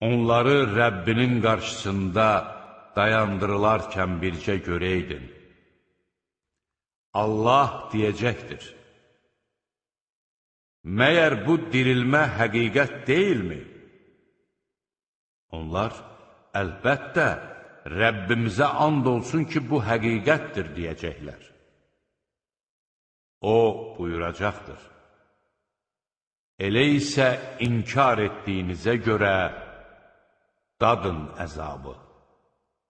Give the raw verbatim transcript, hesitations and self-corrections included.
Onları Rəbbinin qarşısında dayandırılarkən bircə görəydin. Allah deyəcəkdir: məyər bu dirilmə həqiqət deyilmi? Onlar, əlbəttə, Rəbbimizə and olsun ki, bu həqiqətdir, deyəcəklər. O buyuracaqdır: elə isə inkar etdiyinizə görə dadın əzabı.